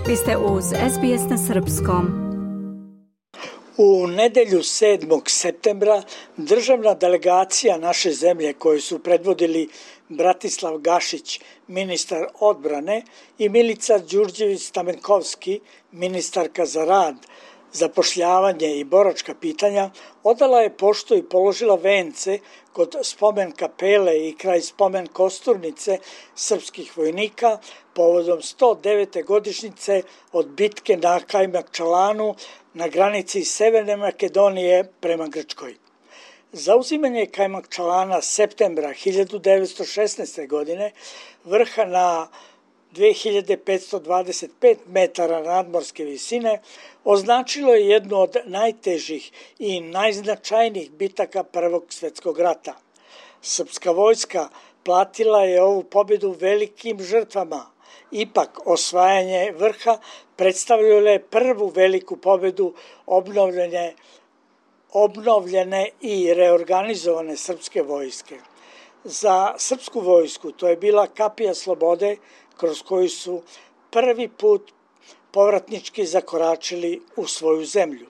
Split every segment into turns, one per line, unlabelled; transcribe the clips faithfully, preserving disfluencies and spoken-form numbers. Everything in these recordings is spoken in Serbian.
Vi ste uz S B S na srpskom.
U nedelju sedmog septembra državna delegacija naše zemlje koju su predvodili Bratislav Gašić, ministar odbrane, i Milica Đurđević-Stamenkovski, ministarka za rad, zapošljavanje i boračka pitanja, odala je poštu i položila vence kod spomen kapele i kraj spomen kosturnice srpskih vojnika povodom sto devete godišnjice od bitke na Kajmakčalanu na granici Severne Makedonije prema Grčkoj. Zauzimanje Kajmakčalana septembra hiljadu devetsto šesnaeste. godine, vrha na dve hiljade petsto dvadeset pet metara nadmorske visine, označilo je jednu od najtežih i najznačajnijih bitaka Prvog svjetskog rata. Srpska vojska platila je ovu pobjedu velikim žrtvama. Ipak, osvajanje vrha predstavljalo je prvu veliku pobjedu obnovljene, obnovljene i reorganizovane srpske vojske. Za srpsku vojsku to je bila kapija slobode kroz koju su prvi put povratnički zakoračili u svoju zemlju.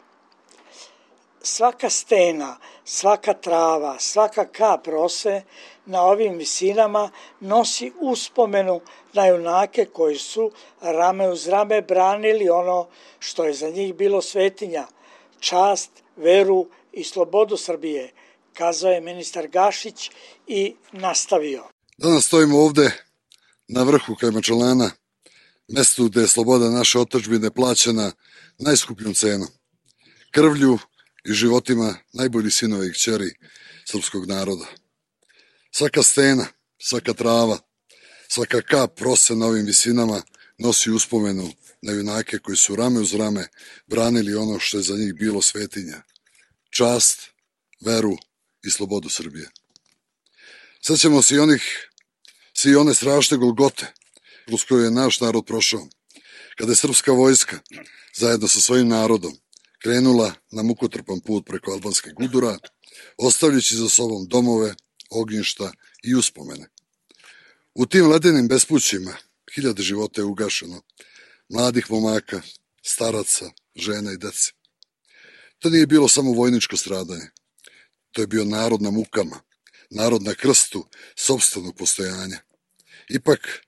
Svaka stena, svaka trava, svaka kap rose na ovim visinama nosi uspomenu na junake koji su rame uz rame branili ono što je za njih bilo svetinja, čast, veru i slobodu Srbije, kazao je ministar Gašić i nastavio.
Danas stojimo ovde na vrhu Kajmakčalana, mestu gde je sloboda naše otadžbine plaćena najskupljom cenom, krvlju i životima najboljih sinova i kćeri srpskog naroda. Svaka stena, svaka trava, svaka kap rose na ovim visinama nosi uspomenu na junake koji su rame uz rame branili ono što je za njih bilo svetinja, čast, veru i slobodu Srbije. Sećamo se i onih, svi one strašne golgote kroz koju je naš narod prošao, kada je srpska vojska zajedno sa svojim narodom krenula na mukotrpan put preko albanske gudura, ostavljajući za sobom domove, ognjišta i uspomene. U tim ledenim bespućima hiljade života je ugašeno, mladih momaka, staraca, žena i dece. To nije bilo samo vojničko stradanje, to je bio narod na mukama, narod na krstu sopstvenog postojanja. Ipak,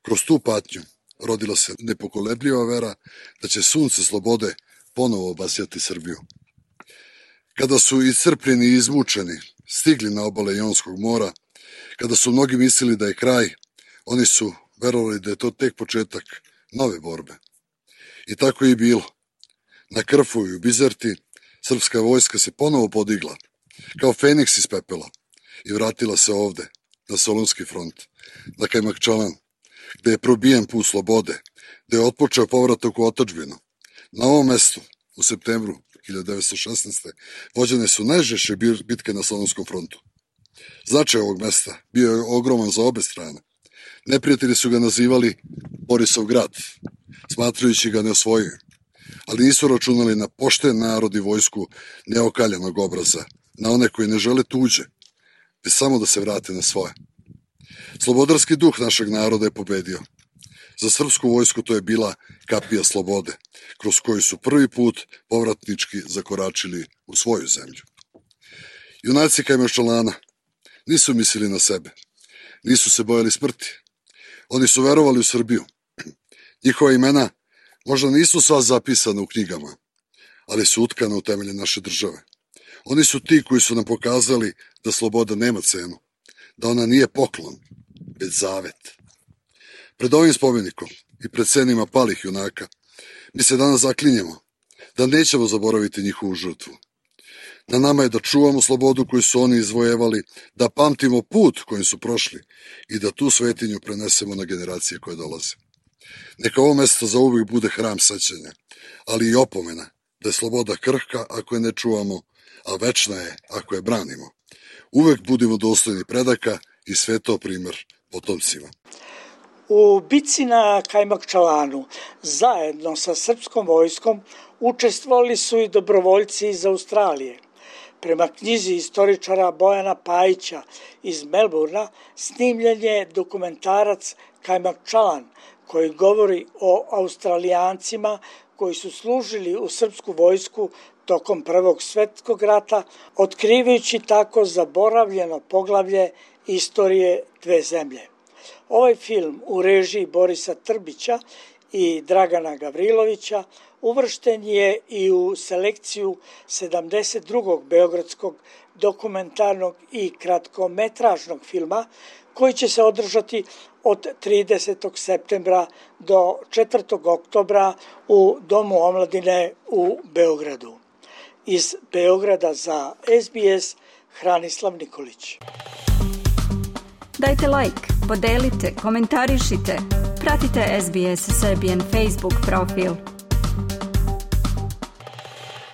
kroz tu patnju rodila se nepokolebljiva vera da će sunce slobode ponovo obasjati Srbiju. Kada su iscrpljeni i izmučeni stigli na obale Jonskog mora, kada su mnogi mislili da je kraj, oni su verovali da je to tek početak nove borbe. I tako je i bilo. Na Krfu i u Bizerti srpska vojska se ponovo podigla, kao Feniks iz pepela, i vratila se ovde, na Solunski front, na Kajmakčalan, gde je probijen put slobode, gde je otpočeo povratak u otadžbinu. Na ovom mestu, u septembru hiljadu devetsto šesnaeste. vođene su najžešće bitke na Solunskom frontu. Značaj ovog mesta bio je ogroman za obe strane. Neprijatelji su ga nazivali Borisov grad, smatrajući ga neosvojivim, ali nisu računali na pošten narod i vojsku neokaljanog obraza, na one koji ne žele tuđe, već samo da se vrate na svoje. Slobodarski duh našeg naroda je pobedio. Za srpsku vojsku to je bila kapija slobode, kroz koju su prvi put povratnički zakoračili u svoju zemlju. Junaci Kajmakčalana nisu mislili na sebe, nisu se bojali smrti. Oni su verovali u Srbiju. Njihova imena možda nisu sva zapisana u knjigama, ali su utkana u temelje naše države. Oni su ti koji su nam pokazali da sloboda nema cenu, da ona nije poklon, već zavet. Pred ovim spomenikom i pred senima palih junaka mi se danas zaklinjemo da nećemo zaboraviti njihovu žrtvu. Na nama je da čuvamo slobodu koju su oni izvojevali, da pamtimo put kojim su prošli i da tu svetinju prenesemo na generacije koje dolaze. Neka ovo mesto zauvijek bude hram sećanja, ali i opomena da je sloboda krhka ako je ne čuvamo, a večna je ako je branimo. Uvek budimo dostojni predaka i svetao primer potomcima.
U bici na Kajmakčalanu zajedno sa srpskom vojskom učestvovali su i dobrovoljci iz Australije. Prema knjizi istoričara Bojana Pajića iz Melbourna snimljen je dokumentarac Kajmakčalan koji govori o Australijancima koji su služili u srpsku vojsku tokom Prvog svjetskog rata, otkrivajući tako zaboravljeno poglavlje istorije dve zemlje. Ovaj film u režiji Borisa Trbića i Dragana Gavrilovića uvršten je i u selekciju sedamdeset drugog beogradskog dokumentarnog i kratkometražnog filma koji će se održati od tridesetog septembra do četvrtog oktobra u Domu omladine u Beogradu. Iz Beograda za S B S, Hranislav Nikolić.
Dajte like, podelite, komentarišite, pratite S B S Serbian Facebook profil.